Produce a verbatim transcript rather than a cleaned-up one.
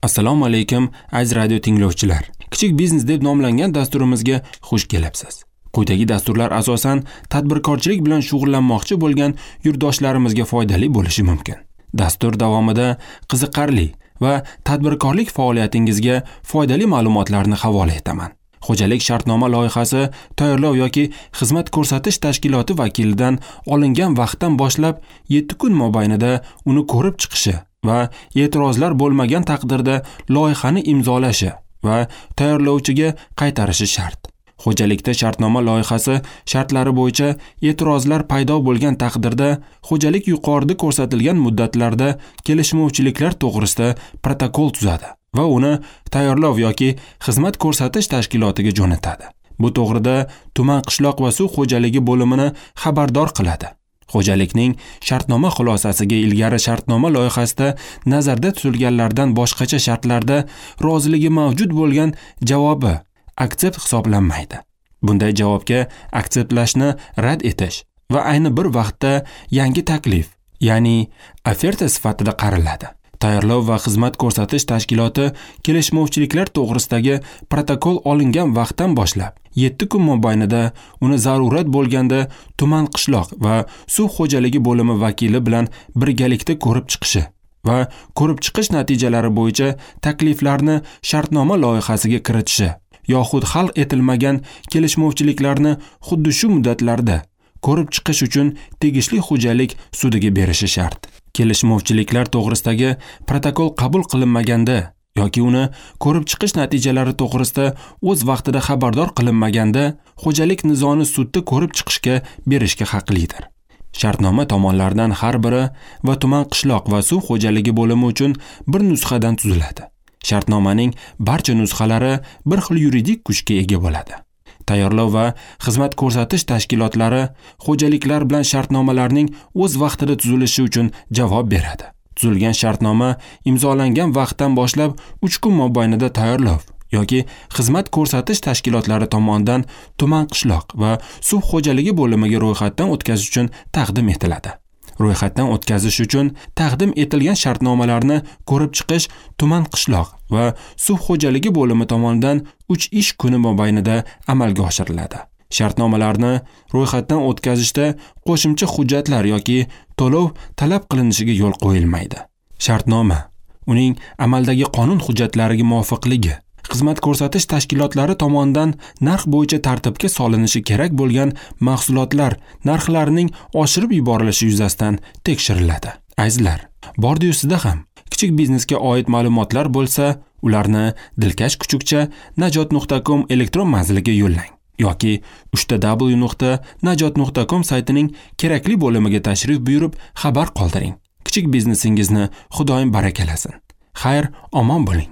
Assalomu alaykum aziz radio tinglovchilar. Kichik biznes deb nomlangan dasturimizga xush kelibsiz. Quyidagi dasturlar asosan tadbirkorchilik bilan shug'ullanmoqchi bo'lgan yurtdoshlarimizga foydali bo'lishi mumkin. Dastur davomida qiziqarli va tadbirkorlik faoliyatingizga foydali ma'lumotlarni havola etaman. Xo'jalik shartnoma loyihasi tayyorlov yoki xizmat ko'rsatish tashkiloti vakilidan olingan vaqtdan boshlab yetti kun mobaynida uni ko'rib chiqishi va e'tirozlar bo'lmagan taqdirda loyihani imzolashi va tayyorlovchiga qaytarishi shart. Xo'jalikda shartnoma loyihasi shartlari bo'yicha e'tirozlar paydo bo'lgan taqdirda xo'jalik yuqorida ko'rsatilgan muddatlarda kelishmovchiliklar to'g'risida protokol tuzadi va uni tayyorlov yoki xizmat ko'rsatish tashkilotiga jo'natadi. Bu to'g'rida tuman qishloq va suv xo'jaligi bo'limini xabardor qiladi. Xo'jalikning shartnoma xulosasiga ilgari shartnoma loyihasida nazarda tutilganlardan boshqacha shartlarda roziligi mavjud bo'lgan javobi aksept hisoblanmaydi. Bunday javobga akseptlashni rad etish va ayni bir vaqtda yangi taklif, ya'ni oferta sifatida qaraladi. Tayyorlov va xizmat ko'rsatish tashkiloti kelishmovchiliklar to'g'risidagi protokol olingan vaqtdan boshlab yetti kun mobaynida uni zarurat bo'lganda tuman qishloq va suv xo'jaligi bo'limi vakili bilan birgalikda ko'rib chiqishi va ko'rib chiqish natijalari bo'yicha takliflarni shartnoma loyihasiga kiritishi yoxud hal etilmagan kelishmovchiliklarni xuddi shu muddatlarda ko'rib chiqish uchun tegishli xo'jalik sudiga berishi shart. Kelishmovchiliklar to'g'risidagi protokol qabul qilinmaganda yoki uni ko'rib chiqish natijalari to'g'risida o'z vaqtida xabardor qilinmaganda xo'jalik nizoni sudda ko'rib chiqishga berishga haqlidir. Shartnoma tomonlaridan har biri va tuman qishloq va suv xo'jaligi bo'limi uchun bir nusxadan tuziladi. Shartnomaning barcha nusxalari bir xil yuridik kuchga ega bo'ladi. Tayyorlov va xizmat ko'rsatish tashkilotlari xo'jaliklar bilan shartnomalarning o'z vaqtida tuzilishi uchun javob beradi. Tuzilgan shartnoma imzolangan vaqtdan boshlab uch kun mobaynida tayyorlov yoki xizmat ko'rsatish tashkilotlari tomonidan tuman qishloq va suv xo'jaligi bo'limiga ro'yxatdan o'tkazish uchun taqdim etiladi. Ro'yxatdan o'tkazish uchun taqdim etilgan shartnomalarni ko'rib chiqish tuman qishloq va suv xo'jaligi bo'limi tomonidan uch ish kuni mobaynida amalga oshiriladi. Shartnomalarni ro'yxatdan o'tkazishda qo'shimcha hujjatlar yoki to'lov talab qilinishiga yo'l qo'yilmaydi. Shartnoma uning amaldagi qonun hujjatlariga muvofiqligi, xizmat ko'rsatish tashkilotlari tomonidan narx bo'yicha tartibga solinishi kerak bo'lgan mahsulotlar narxlarining oshirib yuborilishi yuzasidan tekshiriladi. Azizlar, bordi-yu sizda ham kichik biznesga oid ma'lumotlar bo'lsa, ularni dilkash kuchukcha najot nuqta com elektron manziliga yo'llang yoki uchta w nuqta najot nuqta com saytining kerakli bo'limiga tashrif buyurib xabar qoldiring. Kichik biznesingizni Xudoyim barakalasin. Xayr, omon bo'ling.